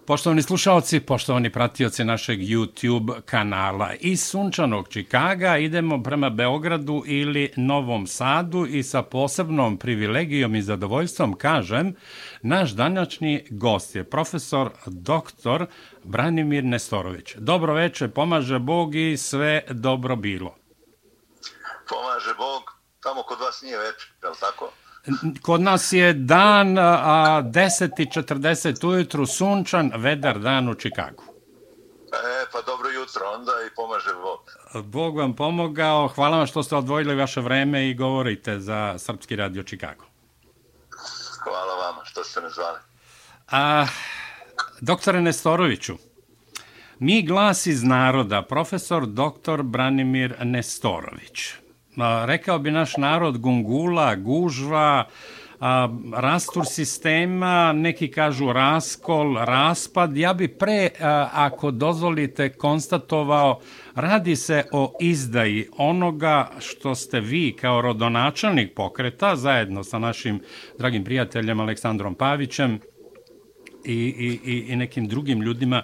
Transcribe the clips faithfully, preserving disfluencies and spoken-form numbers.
Poštovani slušalci, poštovani pratioci našeg YouTube kanala. Iz sunčanog Čikaga idemo prema Beogradu ili Novom Sadu i sa posebnom privilegijom i zadovoljstvom kažem, naš današnji gost je profesor doktor Branimir Nestorović. Dobro večer, pomaže Bog i sve dobro bilo. Pomaže Bog, tamo kod vas nije večer, je li tako? Kod nas je dan, a deset i četrdeset ujutru, sunčan, vedar dan u Čikagu. E, pa dobro jutro onda i pomaže Bog. Bog vam pomogao, hvala vam što ste odvojili vaše vreme i govorite za Srpski radio Čikago. Hvala vama što ste me zvali. A, doktore Nestoroviću, mi glas iz naroda, profesor doktor Branimir Nestorović. Rekao bi naš narod gungula, gužva, a, rastur sistema, neki kažu raskol, raspad. Ja bi pre, a, ako dozvolite, konstatovao, radi se o izdaji onoga što ste vi kao rodonačelnik pokreta, zajedno sa našim dragim prijateljem Aleksandrom Pavićem i, i, i nekim drugim ljudima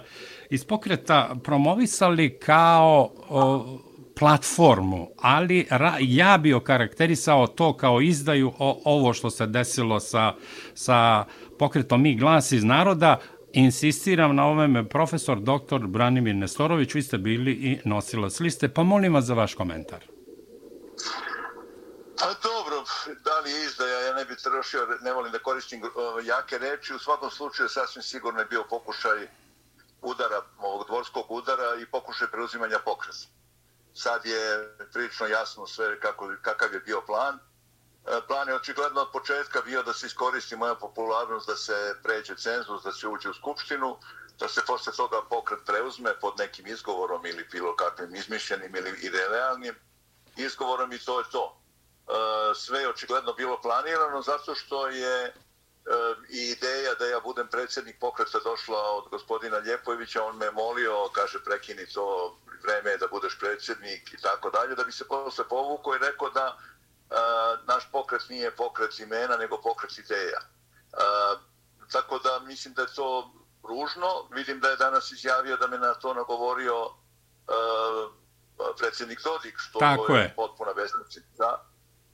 iz pokreta promovisali kao o, platformu, ali ra, ja bi okarakterisao to kao izdaju o, ovo što se desilo sa, sa pokretom Mi glas iz naroda. Insistiram na ovome, profesor doktor Branimir Nestorović, vi ste bili i nosilac liste, pa molim vas za vaš komentar. A dobro, da li je izdaja, ja ne bih trošio, ne volim da koristim jake reči, u svakom slučaju sasvim sigurno je bio pokušaj udara, ovog dvorskog udara i pokušaj preuzimanja pokreta. Sad je prilično jasno sve kako, kakav je bio plan. Plan je očigledno od početka bio da se iskoristi moja popularnost, da se pređe cenzus, da se uđe u skupštinu, da se posle toga pokret preuzme pod nekim izgovorom ili bilo kakvim izmišljenim ili idealnim izgovorom i to je to. Sve je očigledno bilo planirano zato što je i ideja da ja budem predsjednik pokreta došla od gospodina Ljepojevića, on me molio, kaže prekini to, vreme je da budeš predsjednik i tako dalje, da bi se posle povukao i rekao da a, naš pokret nije pokret imena, nego pokret ideja. A, tako da mislim da je to ružno. Vidim da je danas izjavio da me na to nagovorio a, predsjednik Dodik, što tako je, je potpuna besmislica.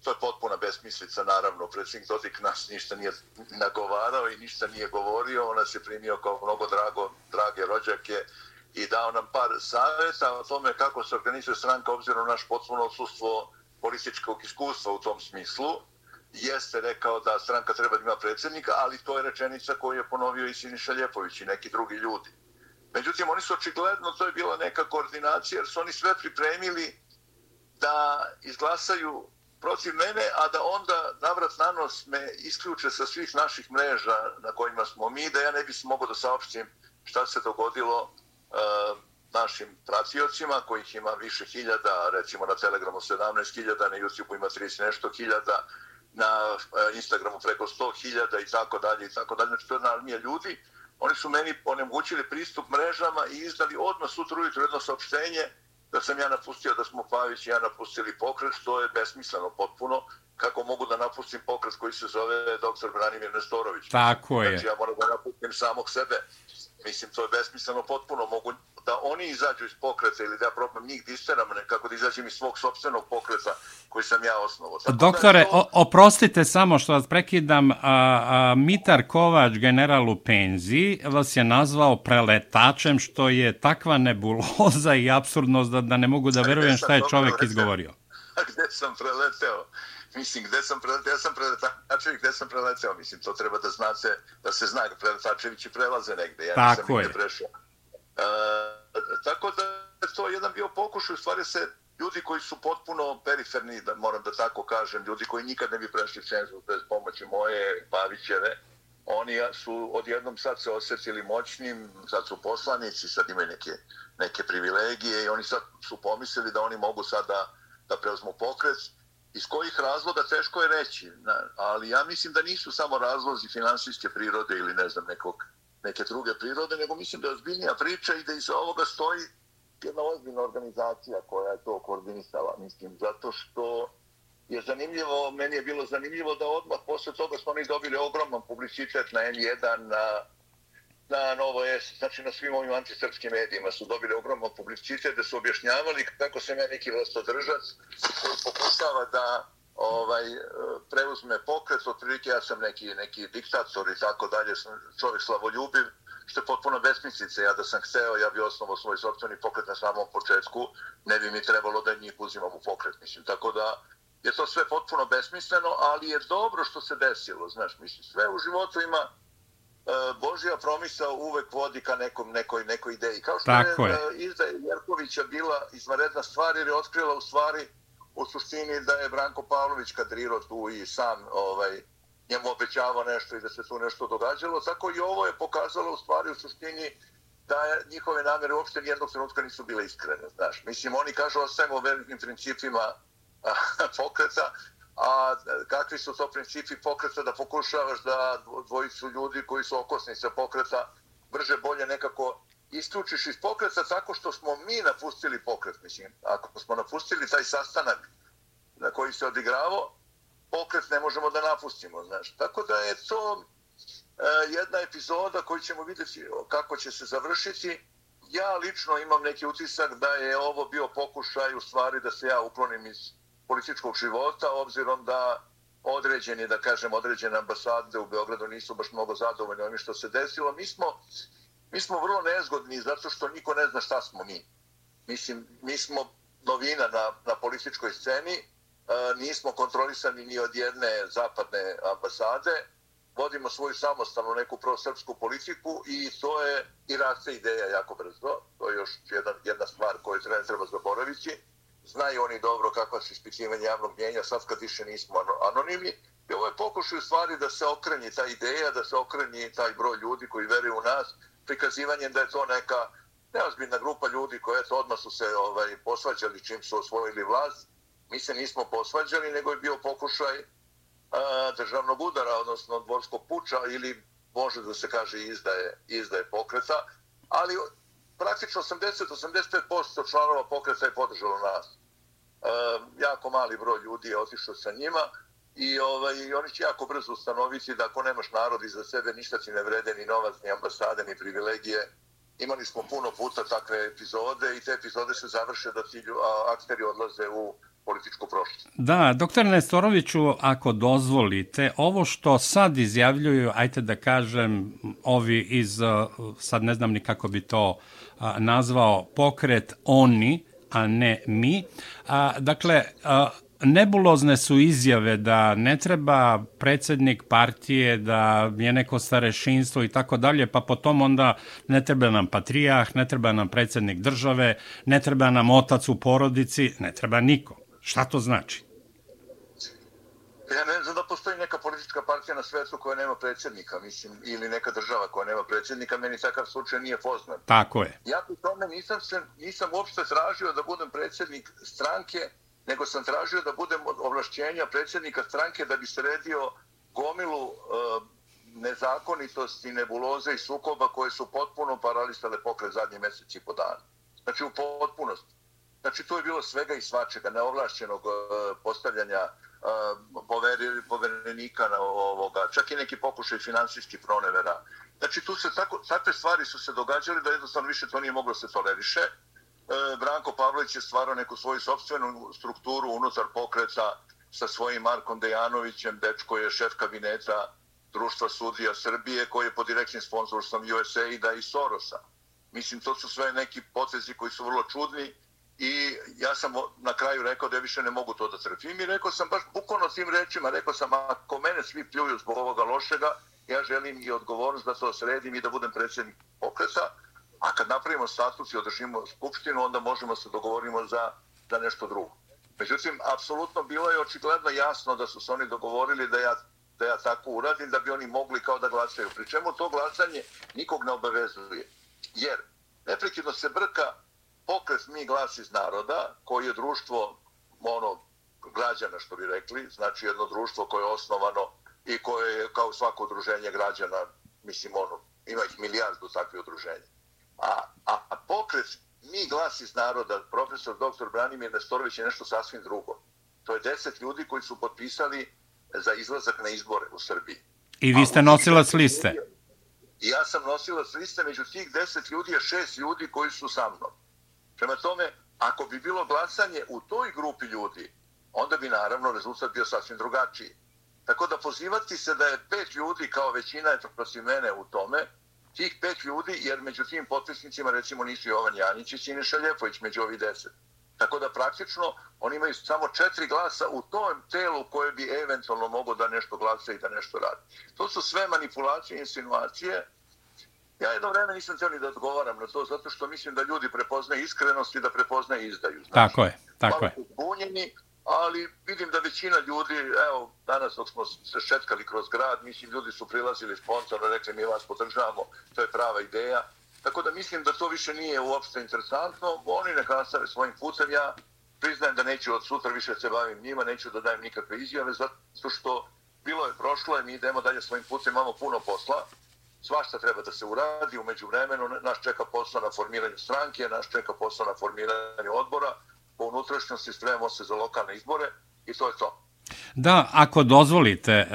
To je potpuna besmislica, naravno. Predsjednik Dodik nas ništa nije nagovarao i ništa nije govorio. On nas je primio kao mnogo drago, drage rođake i dao nam par savjeta o tome kako se organizuje stranka obzirom na naš potpuno odsustvo političkog iskustva u tom smislu. Jeste rekao da stranka treba da ima predsjednika, ali to je rečenica koju je ponovio i Siniša Ljepović i neki drugi ljudi. Međutim, oni su očigledno, to je bila neka koordinacija, jer su oni sve pripremili da izglasaju protiv mene, a da onda navrat na nos me isključe sa svih naših mreža na kojima smo mi, da ja ne bi se mogao da saopštim šta se dogodilo Uh, našim pratiocima, kojih ima više hiljada, recimo na Telegramu sedamnaest hiljada, na YouTubeu ima trideset nešto hiljada, na uh, Instagramu preko sto hiljada i tako dalje i tako dalje. Znači to je jedna armija ljudi. Oni su meni onemogućili pristup mrežama i izdali odmah sutra ujutro jedno saopštenje da sam ja napustio, da smo Pavić i ja napustili pokret, što je besmisleno potpuno. Kako mogu da napustim pokret koji se zove doktor Branimir Nestorović? Tako je. Znači ja moram da napustim samog sebe. Mislim, to je besmisleno potpuno. Mogu da oni izađu iz pokreta ili da ja probam njih da isteram, nekako da izađem iz svog sopstvenog pokreta koji sam ja osnovao. Tako doktore, to... o, oprostite samo što vas prekidam, a, a, Mitar Kovač, general u penziji, vas je nazvao preletačem, što je takva nebuloza i apsurdnost da, da ne mogu da verujem šta je čovjek izgovorio. A gde sam preleteo? Mislim, gde sam preleteo? Ja sam preletačevi, gde sam preleteo? Mislim, to treba da znate, da se zna, preletačevići prelaze negde. Ja tako nisam je. Nigde prešao. E, tako da je to jedan bio pokušaj, u stvari se ljudi koji su potpuno periferni, da moram da tako kažem, ljudi koji nikad ne bi prešli cenzus bez pomoći moje, Pavićeve, oni su odjednom sad se osjetili moćnim, sad su poslanici, sad imaju neke, neke privilegije i oni sad su pomislili da oni mogu sad da, da preuzmu pokret. Iz kojih razloga teško je reći, ali ja mislim da nisu samo razlozi finansijske prirode ili ne znam nekog, neke druge prirode, nego mislim da je ozbiljnija priča i da iza ovoga stoji jedna ozbiljna organizacija koja je to koordinisala. Mislim, zato što je zanimljivo, meni je bilo zanimljivo da odmah posle toga smo oni dobili ogroman publicitet na en jedan, na na Novo S, znači na svim ovim antisrpskim medijima su dobili ogromno publicitet da su objašnjavali kako sam ja neki vlastodržac koji pokušava da ovaj, preuzme pokret, otprilike ja sam neki, neki diktator i tako dalje, čovjek slavoljubiv, što je potpuno besmislice. Ja da sam hteo, ja bi osnovao svoj sopstveni pokret na samom početku, ne bi mi trebalo da njih uzimam u pokret, mislim. Tako da je to sve potpuno besmisleno, ali je dobro što se desilo, znaš, mislim, sve u životu ima Božja promisao uvek vodi ka nekom, nekoj, nekoj ideji. Kao što Tako je, je. izdaja Jerkovića bila izvanredna stvar jer je otkrila u stvari u suštini da je Branko Pavlović kadrirao tu i sam ovaj, njemu obećavao nešto i da se tu nešto događalo. Tako i ovo je pokazalo u stvari u suštini da je, njihove namere uopšte nijednog trenutka nisu bile iskrene. Znaš. Mislim, oni kažu ostajemo u velikim principima pokreta, a kakvi su to principi pokreta da pokušavaš da dvojicu ljudi koji su okosnica pokreta brže bolje nekako isključiš iz pokreta tako što smo mi napustili pokret. Mislim, ako smo napustili taj sastanak na koji se odigravao, pokret ne možemo da napustimo. Znaš. Tako da je to e, jedna epizoda koju ćemo vidjeti kako će se završiti. Ja lično imam neki utisak da je ovo bio pokušaj u stvari da se ja uklonim iz političkog života, obzirom da određeni, da kažem, određene ambasade u Beogradu nisu baš mnogo zadovoljni onim što se desilo. Mi smo, mi smo vrlo nezgodni zato što niko ne zna šta smo mi. Mislim, mi smo novina na, na političkoj sceni, e, nismo kontrolisani ni od jedne zapadne ambasade, vodimo svoju samostalnu neku prosrpsku politiku i to je i raste ideja jako brzo. To je još jedna, jedna stvar koju treba, treba zaboraviti. Znaju oni dobro kakva su ispitivanja javnog mnjenja, sad kad više nismo anonimni. I ovo je pokušaj u stvari da se okrenji ta ideja, da se okrenji taj broj ljudi koji veruju u nas, prikazivanjem da je to neka neozbiljna grupa ljudi koji eto, odmah su se ovaj, posvađali čim su osvojili vlast. Mi se nismo posvađali, nego je bio pokušaj a, državnog udara, odnosno dvorskog puča ili može da se kaže izdaje, izdaje pokreta, ali praktično osamdeset do osamdeset pet posto članova pokreta je podržalo nas. E, jako mali broj ljudi je otišao sa njima i ovaj, oni će jako brzo ustanoviti da ako nemaš narod iza sebe, ništa ti ne vrede, ni novac, ni ambasade, ni privilegije. Imali smo puno puta takve epizode i te epizode se završe da ti akteri odlaze u političku prošlost. Da, doktor Nestoroviću, ako dozvolite, ovo što sad izjavljuju, ajte da kažem, ovi iz, sad ne znam ni kako bi to a, nazvao, pokret oni, a ne mi. A, dakle, a, nebulozne su izjave da ne treba predsjednik partije, da je neko starešinstvo i tako dalje, pa potom onda ne treba nam patrijah, ne treba nam predsjednik države, ne treba nam otac u porodici, ne treba niko. Šta to znači? Ja ne znam da postoji neka politička partija na svetu koja nema predsjednika, mislim, ili neka država koja nema predsjednika, meni takav slučaj nije poznat. Tako je. Ja pri tome nisam, se, nisam uopšte tražio da budem predsjednik stranke, nego sam tražio da budem ovlašćenja predsjednika stranke da bi sredio gomilu e, nezakonitosti, nebuloze i sukoba koje su potpuno paralisale pokret zadnji mjesec i po dana. Znači u potpunosti. Znači tu je bilo svega i svačega, neovlašćenog e, postavljanja e, poverenika na ovoga, čak i neki pokušaj finansijskih pronevera. Znači tu se tako, takve stvari su se događale da jednostavno više to nije moglo se toleriše. E, Branko Pavlović je stvarao neku svoju sopstvenu strukturu unutar pokreta sa svojim Markom Dejanovićem, dečko je šef kabineta Društva sudija Srbije koji je pod direktnim sponzorstvom U S A I D-a i Sorosa. Mislim, to su sve neki potezi koji su vrlo čudni. I ja sam na kraju rekao da ja više ne mogu to da trpim i rekao sam baš bukvalno tim rečima, rekao sam ako mene svi pljuju zbog ovoga lošega, ja želim i odgovornost da to sredim i da budem predsjednik pokreta, a kad napravimo statut i održimo skupštinu, onda možemo se dogovorimo za, za nešto drugo. Međutim, apsolutno bilo je očigledno jasno da su se oni dogovorili da ja, da ja tako uradim, da bi oni mogli kao da glasaju. Pri čemu to glasanje nikog ne obavezuje. Jer neprekidno se brka pokret Mi glas iz naroda, koji je društvo ono, građana, što bi rekli, znači jedno društvo koje je osnovano i koje je kao svako udruženje građana, mislim, ono, ima ih milijardu takvih udruženja. A, a, a pokret Mi glas iz naroda, profesor doktor Branimir Nestorović je nešto sasvim drugo. To je deset ljudi koji su potpisali za izlazak na izbore u Srbiji. I vi ste nosilac liste? I ja sam nosilac liste, među tih deset ljudi je šest ljudi koji su sa mnom. Prema tome, ako bi bilo glasanje u toj grupi ljudi, onda bi naravno rezultat bio sasvim drugačiji. Tako da pozivati se da je pet ljudi kao većina je protiv mene u tome, tih pet ljudi, jer među tim potpisnicima recimo nisu Jovan Janjić i Siniša Ljepović među ovih deset. Tako da praktično oni imaju samo četiri glasa u tom telu koje bi eventualno mogo da nešto glasa i da nešto radi. To su sve manipulacije i insinuacije. Ja jedno vreme nisam htio ni da odgovaram na to, zato što mislim da ljudi prepoznaju iskrenost i da prepoznaju izdaju. Znači, tako je, tako je. Bunjeni, ali vidim da većina ljudi, evo, danas dok smo se šetkali kroz grad, mislim, ljudi su prilazili sponsorno, rekli mi vas podržavamo, to je prava ideja. Tako da mislim da to više nije uopšte interesantno, oni neka nastave svojim putem, ja priznajem da neću od sutra više se bavim njima, neću da dajem nikakve izjave, zato što bilo je prošlo, mi idemo dalje svojim putem, imamo puno posla, svašta treba da se uradi, u međuvremenu nas čeka posao na formiranju stranke, nas čeka posao na formiranju odbora, po unutrašnjosti spremamo se za lokalne izbore i to je to. Da, ako dozvolite,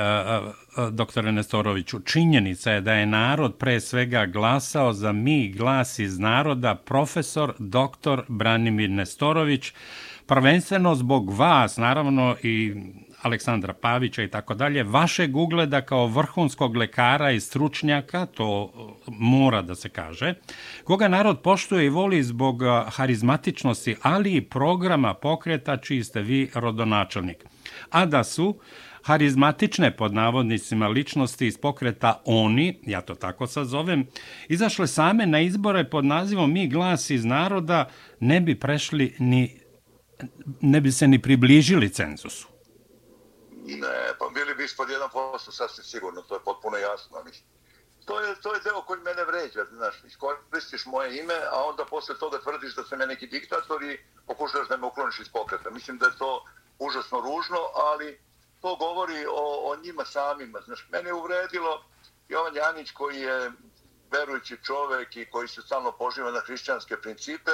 doktore Nestoroviću, činjenica je da je narod pre svega glasao za Mi glas iz naroda, profesor doktor Branimir Nestorović, prvenstveno zbog vas, naravno i Aleksandra Pavića i tako dalje, vašeg ugleda kao vrhunskog lekara i stručnjaka, to mora da se kaže, koga narod poštuje i voli zbog harizmatičnosti, ali i programa pokreta čiji ste vi rodonačelnik. A da su harizmatične, pod navodnicima, ličnosti iz pokreta oni, ja to tako sad zovem, izašle same na izbore pod nazivom Mi glas iz naroda, ne bi prešli ni, ne bi se ni približili cenzusu. Ne, pa bili bi ispod jedan posto sasvim sigurno, to je potpuno jasno. To je, to je deo koji mene vređa, znaš, iskoristiš moje ime, a onda posle toga tvrdiš da sam ja neki diktator i pokušaš da me ukloniš iz pokreta. Mislim da je to užasno ružno, ali to govori o, o njima samima. Znaš, mene je uvredilo Jovan Janjić koji je verujući čovek i koji se stalno poživa na hrišćanske principe.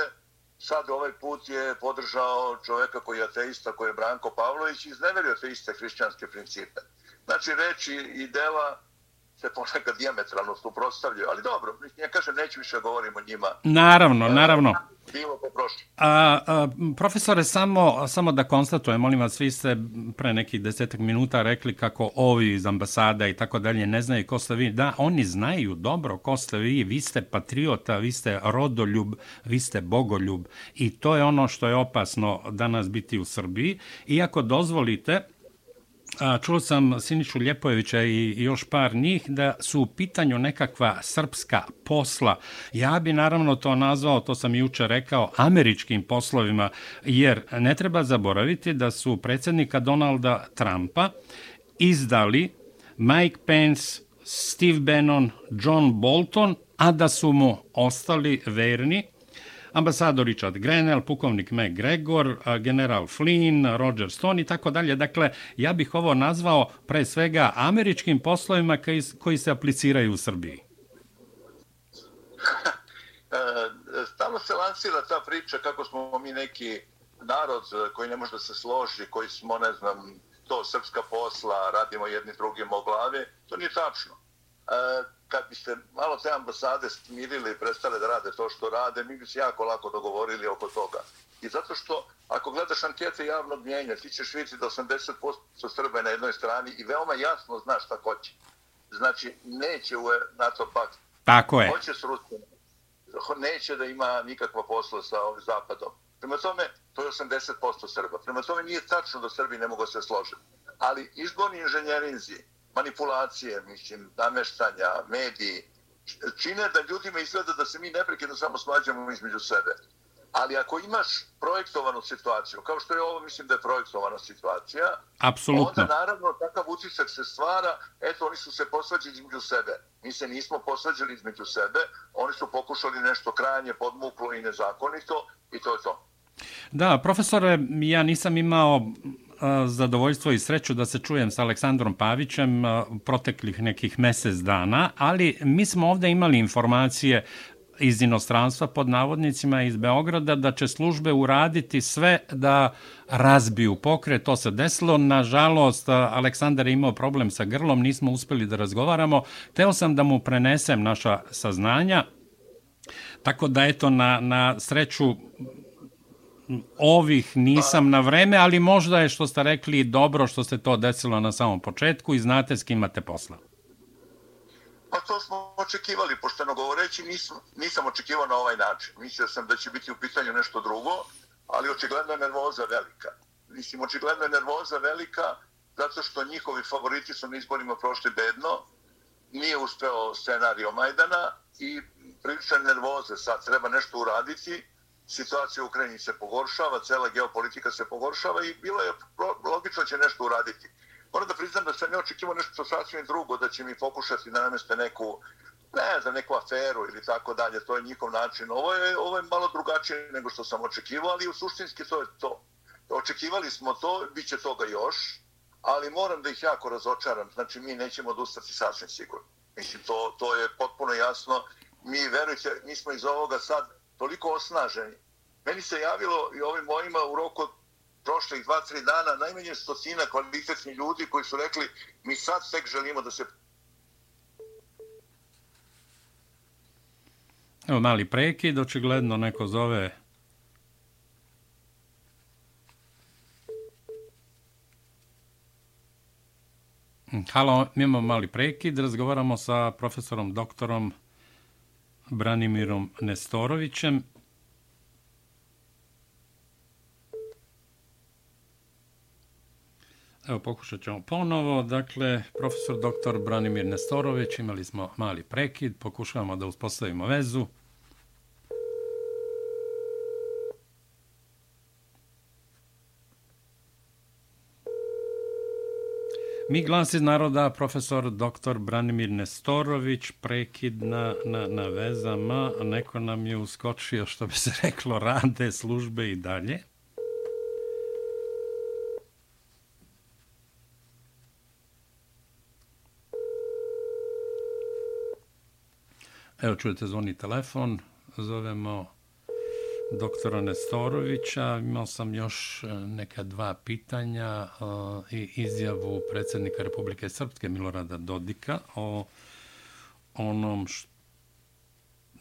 Sad ovaj put je podržao čoveka koji je ateista, koji je Branko Pavlović i izneverio te iste hrišćanske principe. Znači, reči i dela se ponekad dijametralno suprotstavljaju, ali dobro, ja kažem, neću više govorim o njima. Naravno, naravno. Bilo po prošlo. A, a, profesore, samo, samo da konstatujem, molim vas, vi ste pre nekih desetak minuta rekli kako ovi iz ambasada i tako dalje ne znaju ko ste vi. Da, oni znaju dobro ko ste vi, vi ste patriota, vi ste rodoljub, vi ste bogoljub i to je ono što je opasno danas biti u Srbiji. Iako dozvolite, čuo sam Sinišu Ljepojevića i još par njih da su u pitanju nekakva srpska posla. Ja bi naravno to nazvao, to sam juče rekao, američkim poslovima, jer ne treba zaboraviti da su predsjednika Donalda Trumpa izdali Mike Pence, Steve Bannon, John Bolton, a da su mu ostali verni ambasador Richard Grenell, pukovnik McGregor, general Flynn, Roger Stone i tako dalje. Dakle, ja bih ovo nazvao pre svega američkim poslovima koji, koji se apliciraju u Srbiji. Stalno se lansira ta priča kako smo mi neki narod koji ne može da se složi, koji smo, ne znam, to srpska posla, radimo jedni drugim o glavi. To nije tačno. Kad bi se malo te ambasade smirili i prestale da rade to što rade, mi bi se jako lako dogovorili oko toga. I zato što, ako gledaš ankete javnog mnjenja, ti ćeš vidjeti da osamdeset posto Srba je na jednoj strani i veoma jasno znaš šta hoće. Znači, neće u NATO pakt. Tako je. Hoće s Rusijom. Neće da ima nikakva posla sa ovim Zapadom. Prema tome, to je osamdeset posto Srba. Prema tome, nije tačno da Srbi ne mogu se složiti. Ali izborni inženjerinzi, manipulacije, mislim, nameštanja, mediji, čine da ljudima izgleda da se mi neprekidno samo svađamo između sebe. Ali ako imaš projektovanu situaciju, kao što je ovo, mislim da je projektovana situacija, apsolutno, onda naravno takav utisak se stvara, eto, oni su se posvađali između sebe. Mi se nismo posvađali između sebe, oni su pokušali nešto krajnje podmuklo i nezakonito i to je to. Da, profesore, ja nisam imao zadovoljstvo i sreću da se čujem sa Aleksandrom Pavićem proteklih nekih mesec dana, ali mi smo ovdje imali informacije iz inostranstva, pod navodnicima, iz Beograda, da će službe uraditi sve da razbiju pokret. To se desilo. Nažalost, Aleksandar je imao problem sa grlom, nismo uspeli da razgovaramo. Teo sam da mu prenesem naša saznanja. Tako da, eto, na, na sreću ovih nisam na vreme, ali možda je, što ste rekli, dobro što se to desilo na samom početku i znate s kim imate posla. Pa to smo očekivali, pošteno govoreći, nisam, nisam očekivao na ovaj način. Mislio sam da će biti u pitanju nešto drugo, ali očigledno je nervoza velika. Mislim, očigledno je nervoza velika zato što njihovi favoriti su na izborima prošli bedno, nije uspeo scenario Majdana i prilična nervoza, sad treba nešto uraditi, situacija u Ukrajini se pogoršava, cela geopolitika se pogoršava i bilo je logično će nešto uraditi. Moram da priznam da sam ne očekivao nešto sasvim drugo, da će mi pokušati da nameste neku, ne znam, neku aferu ili tako dalje, to je njihov način. Ovo je, ovo je malo drugačije nego što sam očekivao, ali u suštinski to je to. Očekivali smo to, bit će toga još, ali moram da ih jako razočaram, znači mi nećemo odustati sasvim sigurno. Mislim, to, to je potpuno jasno. Mi, verujte, mi smo iz ovoga sad toliko osnaženi. Meni se javilo i ovim mojima u roku prošlih dva, tri dana najmanje stotina kvalitetnih ljudi koji su rekli mi sad tek želimo da se... Evo mali prekid, očigledno neko zove... Halo, mi imamo mali prekid, razgovaramo sa profesorom doktorom Branimirom Nestorovićem. Evo, pokušat ćemo ponovo. Dakle, profesor doktor Branimir Nestorović, imali smo mali prekid, pokušavamo da uspostavimo vezu. Mi glas iz naroda, profesor doktor Branimir Nestorović, prekid na, na, na vezama. Neko nam je uskočio, što bi se reklo, rade službe i dalje. Evo, čujete, zvoni telefon, zovemo doktora Nestorovića. Imao sam još neka dva pitanja i izjavu predsjednika Republike Srpske Milorada Dodika o onom š...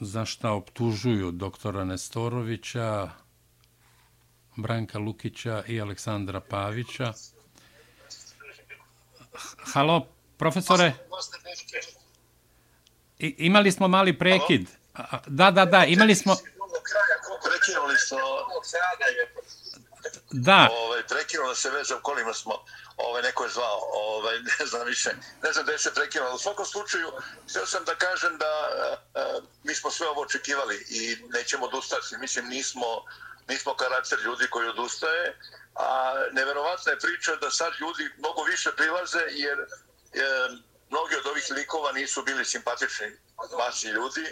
za šta optužuju doktora Nestorovića, Branka Lukića i Aleksandra Pavića. Halo, profesore? I, imali smo mali prekid. Halo? Da, da, da, imali smo... Prekinuli smo... Da. Ovaj, prekinula se veza u kolima smo, ovaj, neko je zvao, ovaj, ne znam više, ne znam da je se prekinula. U svakom slučaju, htio sam da kažem da uh, mi smo sve ovo očekivali i nećemo odustati. Mislim, nismo, nismo karakter ljudi koji odustaje, a neverovatna je priča da sad ljudi mnogo više prilaze jer uh, mnogi od ovih likova nisu bili simpatični masi ljudi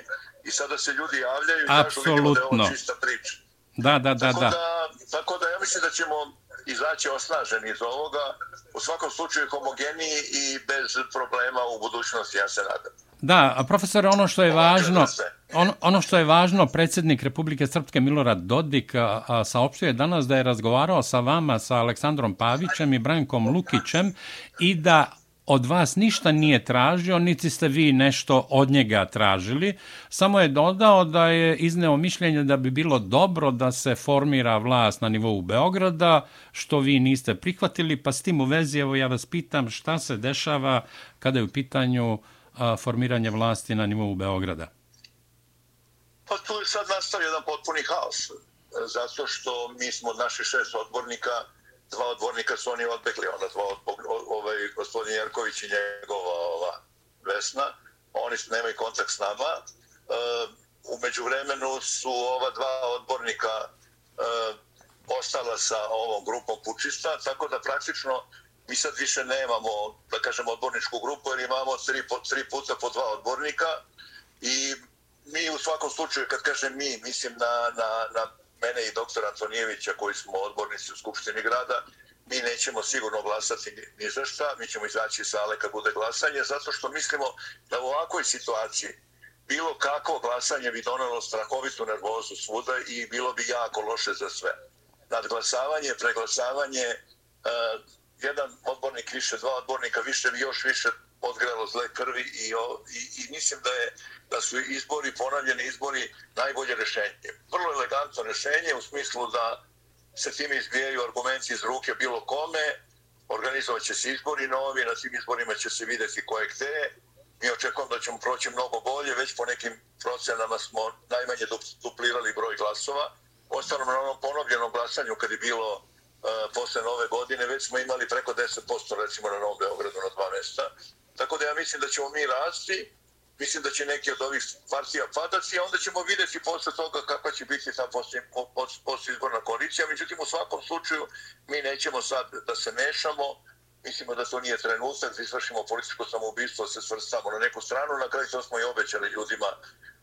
i sada se ljudi javljaju i kažu vidimo da je ovo čista priča. Da, da, da, tako da. da. Tako da ja mislim da ćemo izaći osnaženi iz ovoga, u svakom slučaju homogeniji i bez problema u budućnosti, ja se nadam. Da, a profesore, ono što je važno, on, ono što je važno, predsjednik Republike Srpske Milorad Dodik a, a, saopštio je danas da je razgovarao sa vama, sa Aleksandrom Pavićem i Brankom Lukićem i da od vas ništa nije tražio, niti ste vi nešto od njega tražili. Samo je dodao da je izneo mišljenje da bi bilo dobro da se formira vlast na nivou Beograda, što vi niste prihvatili, pa s tim u vezi, evo ja vas pitam šta se dešava kada je u pitanju a, formiranje vlasti na nivou Beograda. Pa tu je sad nastavio jedan potpuni haos, zato što mi smo od naših šest odbornika, dva odbornika su oni odbegli, onda dva ovaj, gospodin Jerković i njegova ova Vesna, oni nemaju kontakt s nama. E, u međuvremenu su ova dva odbornika e, ostala sa ovom grupom pučista, tako da praktično mi sad više nemamo, da kažem, odborničku grupu, jer imamo tri, tri puta po dva odbornika i mi u svakom slučaju, kad kažem mi, mislim na, na, na mene i doktora Antonijevića koji smo odbornici u Skupštini grada, mi nećemo sigurno glasati ni za šta, mi ćemo izaći iz sale kad bude glasanje, zato što mislimo da u ovakvoj situaciji bilo kakvo glasanje bi donelo strahovitu nervozu svuda i bilo bi jako loše za sve. Nadglasavanje, preglasavanje, uh, jedan odbornik više, dva odbornika više bi još više odgrelo zle krvi i, i, i mislim da, je, da su izbori, ponavljeni izbori, najbolje rješenje. Vrlo elegantno rješenje u smislu da se time izbijaju argumenti iz ruke bilo kome, organizovat će se izbori novi, na tim izborima će se vidjeti ko je gde. Mi očekujemo da ćemo proći mnogo bolje, već po nekim procenama smo najmanje duplirali broj glasova. Ostalo na onom ponovljenom glasanju kad je bilo uh, posle nove godine, već smo imali preko deset posto recimo na Novom Beogradu na dva mjesta. Tako da ja mislim da ćemo mi rasti, mislim da će neki od ovih partija padati, a onda ćemo vidjeti posle toga kakva će biti ta postizborna koalicija. Međutim, u svakom slučaju mi nećemo sad da se mešamo, mislimo da to nije trenutak da izvršimo političko samoubistvo, da se svrstamo na neku stranu. Na kraju to smo i obećali ljudima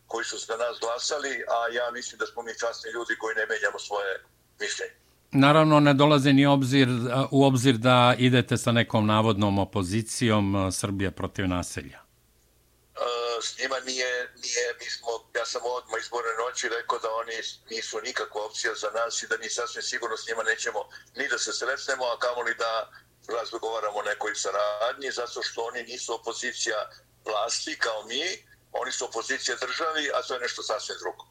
koji su za nas glasali, a ja mislim da smo mi časni ljudi koji ne menjamo svoje mišljenje. Naravno, ne dolaze ni obzir, u obzir da idete sa nekom navodnom opozicijom Srbije protiv naselja. S njima nije, nije, mi smo, ja sam odmah izborne noći rekao da oni nisu nikakva opcija za nas i da mi sasvim sigurno s njima nećemo ni da se sretnemo, a kamoli da razgovaramo o nekoj saradnji, zato što oni nisu opozicija vlasti kao mi, oni su opozicija državi, a to je nešto sasvim drugo.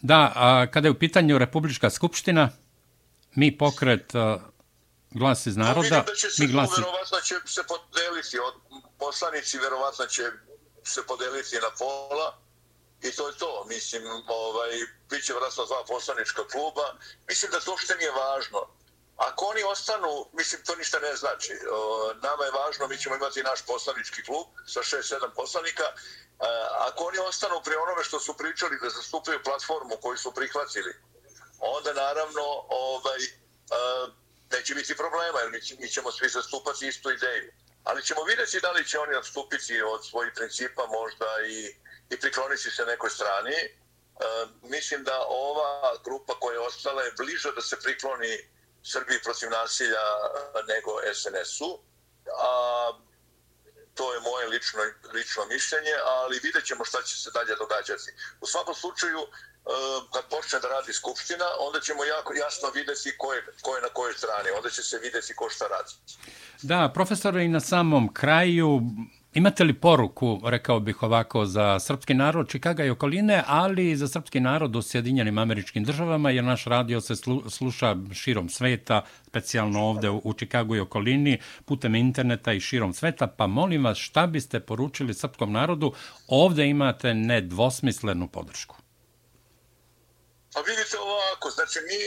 Da, a kada je u pitanju Republička skupština, mi pokret uh, Glas iz naroda, vidim da će se, mi glasi... verovatno će se podeliti, od poslanici verovatno će se podeliti na pola i to je to. Mislim, ovaj, bit će vratno dva poslanička kluba. Mislim da to uopšte nije važno. Ako oni ostanu, mislim, to ništa ne znači. O, nama je važno, mi ćemo imati naš poslanički klub sa šest sedam poslanika. E, ako oni ostanu pri onome što su pričali da zastupaju platformu koju su prihvatili, onda naravno ovaj, e, neće biti problema, jer mi, mi ćemo svi zastupati istu ideju. Ali ćemo vidjeti da li će oni odstupiti od svojih principa možda i, i prikloniti se nekoj strani. E, mislim da ova grupa koja je ostala je bliža da se prikloni Srbiji protiv nasilja nego es en es-u. A, to je moje lično, lično mišljenje, ali vidjet ćemo šta će se dalje događati. U svakom slučaju, kad počne da radi Skupština, onda ćemo jako jasno vidjeti ko je, ko je na kojoj strani. Onda će se vidjeti ko šta radi. Da, profesore, i na samom kraju, imate li poruku, rekao bih ovako, za srpski narod Čikaga i okoline, ali i za srpski narod u Sjedinjenim Američkim Državama, jer naš radio se sluša širom sveta, specijalno ovde u Čikagu i okolini, putem interneta i širom sveta, pa molim vas šta biste poručili srpskom narodu, ovde imate nedvosmislenu podršku. Pa vidite ovako, znači mi,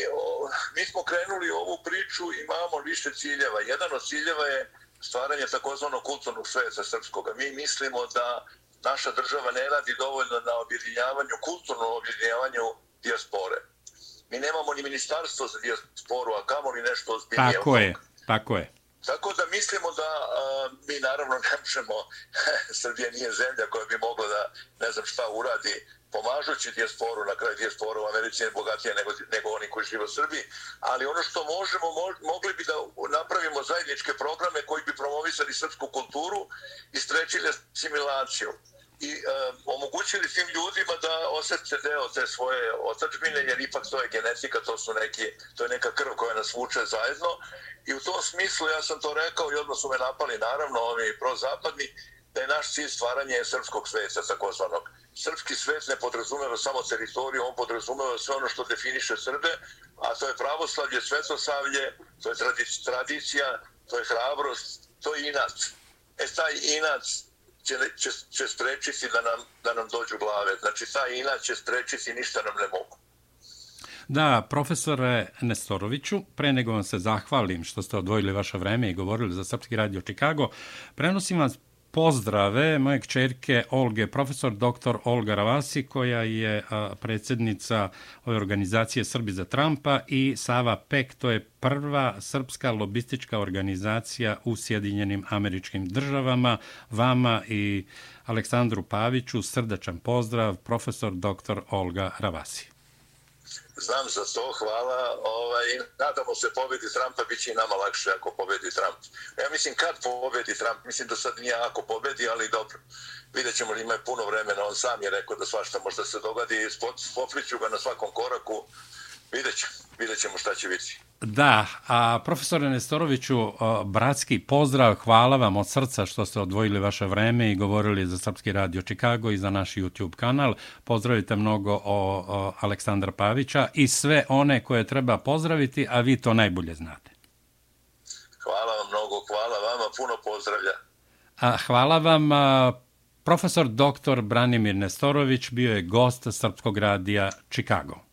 mi smo krenuli u ovu priču i imamo više ciljeva. Jedan od ciljeva je stvaranje takozvanog kulturnog sveta srpskoga. Mi mislimo da naša država ne radi dovoljno na objedinjavanju, kulturnom objedinjavanju dijaspore. Mi nemamo ni ministarstvo za dijasporu, a kamoli nešto ozbiljnije. Tako je, tako je. Tako da mislimo da a, mi naravno ne možemo, Srbija nije zemlja koja bi mogla da ne znam šta uradi pomažući dijasporu, na kraju dijaspora u Americi je bogatija nego, nego oni koji žive u Srbiji, ali ono što možemo, mo, mogli bi da napravimo zajedničke programe koji bi promovisali srpsku kulturu i sprečili asimilaciju i e, omogućili tim ljudima da osjete deo te svoje otadžbine, jer ipak to je genetika, to su neki, to je neka krv koja nas vuče zajedno i u tom smislu ja sam to rekao i odmah su me napali naravno ovi prozapadni, da je naš cilj stvaranje srpskog sveta takozvanog. Srpski svet ne podrazumeva samo teritoriju, on podrazumeva sve ono što definiše Srbe, a to je pravoslavlje, svetosavlje, to je tradicija, to je hrabrost, to je inat. E, taj inat će, će, će sprečiti da nam, da nam dođu glave. Znači, taj inat će sprečiti, ništa nam ne mogu. Da, profesore Nestoroviću, pre nego vam se zahvalim što ste odvojili vaše vreme i govorili za Srpski radio Čikago, prenosim vas pozdrave moje kćerke Olge, profesor doktor Olga Ravasi, koja je a, predsjednica ove organizacije Srbi za Trumpa, i Sava Pek, to je prva srpska lobistička organizacija u Sjedinjenim Američkim Državama. Vama i Aleksandru Paviću srdačan pozdrav, profesor doktor Olga Ravasi. znam za to, hvala. Ovaj, nadamo se pobedi Trumpa, bit će i nama lakše ako pobedi Trump. Ja mislim kad pobedi Trump, mislim da sad nije ako pobedi, ali dobro. Vidjet ćemo li ima puno vremena, on sam je rekao da svašta možda se dogodi, popliću ga na svakom koraku, vidjet ćemo, vidjet ćemo šta će biti. Da, a profesore Nestoroviću, bratski pozdrav, hvala vam od srca što ste odvojili vaše vreme i govorili za Srpski radio Chicago i za naš YouTube kanal. Pozdravite mnogo o, o Aleksandra Pavića i sve one koje treba pozdraviti, a vi to najbolje znate. Hvala vam mnogo, hvala vama, puno pozdravlja. A, hvala vam. A, profesor doktor Branimir Nestorović bio je gost Srpskog radija Chicago.